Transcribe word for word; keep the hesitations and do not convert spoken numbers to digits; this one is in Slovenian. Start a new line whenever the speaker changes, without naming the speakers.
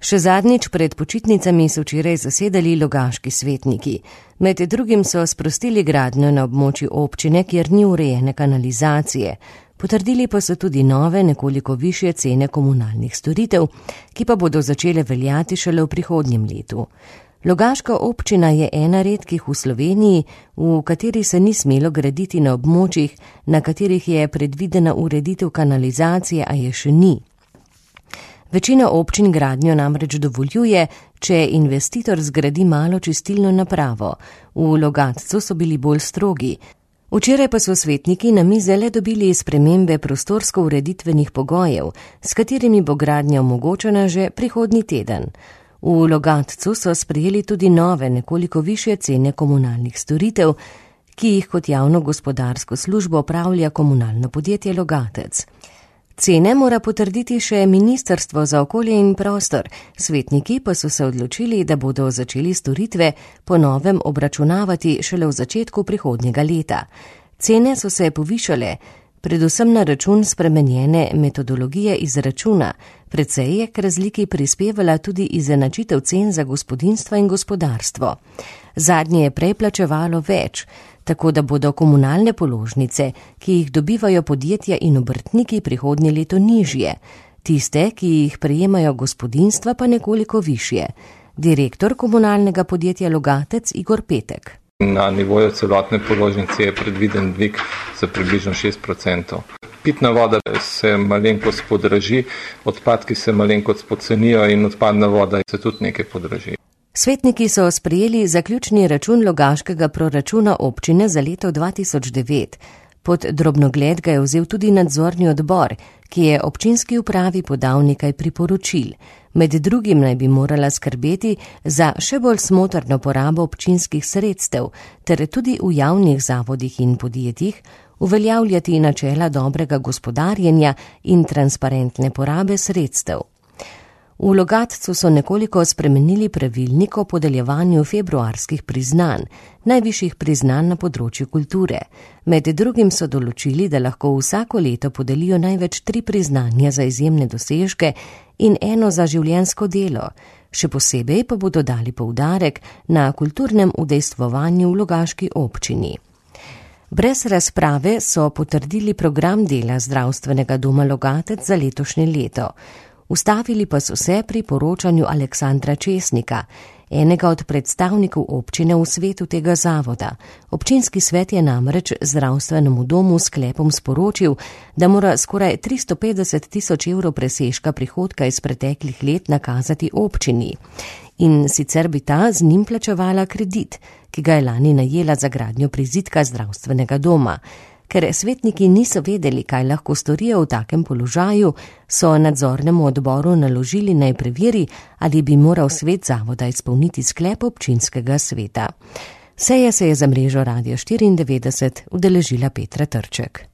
Še zadnjič pred počitnicami so včeraj zasedali logaški svetniki. Med drugim so sprostili gradnjo na območju občine, kjer ni urejene kanalizacije. Potrdili pa so tudi nove, nekoliko višje cene komunalnih storitev, ki pa bodo začele veljati šele v prihodnjem letu. Logaška občina je ena redkih v Sloveniji, v kateri se ni smelo graditi na območjih, na katerih je predvidena ureditev kanalizacije, a je še ni. Večina občin gradnjo namreč dovoljuje, če investitor zgradi malo čistilno napravo. V Logatcu so bili bolj strogi. Včeraj pa so svetniki na mize le dobili spremembe prostorsko-ureditvenih pogojev, s katerimi bo gradnja omogočena že prihodnji teden. V Logatcu so sprejeli tudi nove, nekoliko višje cene komunalnih storitev, ki jih kot javno gospodarsko službo opravlja komunalno podjetje Logatec. Cene mora potrditi še Ministrstvo za okolje in prostor, svetniki pa so se odločili, da bodo začeli storitve po novem obračunavati šele v začetku prihodnjega leta. Cene so se povišale, predvsem na račun spremenjene metodologije izračuna, precej je k razliki prispevala tudi izenačitev cen za gospodinjstva in gospodarstvo. Zadnje je prej plačevalo več, tako da bodo komunalne položnice, ki jih dobivajo podjetja in obrtniki, prihodnje leto nižje, tiste, ki jih prejemajo gospodinjstva, pa nekoliko višje. Direktor komunalnega podjetja Logatec Igor Petek.
Na nivoju celotne položnice je predviden dvig za približno šest procentov. Pitna voda se malenkost podraži, odpadki se malenkost pocenijo in odpadna voda se tudi nekaj podraži.
Svetniki so sprejeli zaključni račun logaškega proračuna občine za leto dva tisoč devet. Pod drobnogled ga je vzel tudi nadzorni odbor, ki je občinski upravi podal nekaj priporočil. Med drugim naj bi morala skrbeti za še bolj smotrno porabo občinskih sredstev, ter tudi v javnih zavodih in podjetjih uveljavljati načela dobrega gospodarjenja in transparentne porabe sredstev. V Logatcu so nekoliko spremenili pravilnik o podeljevanju februarskih priznanj, najvišjih priznanj na področju kulture. Med drugim so določili, da lahko vsako leto podelijo največ tri priznanja za izjemne dosežke in eno za življenjsko delo. Še posebej pa bodo dali poudarek na kulturnem udejstvovanju v logaški občini. Brez razprave so potrdili program dela zdravstvenega doma Logatec za letošnje leto. Ustavili pa so se pri poročanju Aleksandra Česnika, enega od predstavnikov občine v svetu tega zavoda. Občinski svet je namreč zdravstvenemu domu sklepom sporočil, da mora skoraj tristo petdeset tisoč evrov presežka prihodka iz preteklih let nakazati občini. In sicer bi ta z njim plačevala kredit, ki ga je lani najela za gradnjo prizidka zdravstvenega doma. Ker svetniki niso vedeli, kaj lahko storijo v takem položaju, so nadzornemu odboru naložili naj preveri, ali bi moral svet zavoda izpolniti sklep občinskega sveta. Seje se je za mrežo Radio štiriindevetdeset udeležila Petra Trček.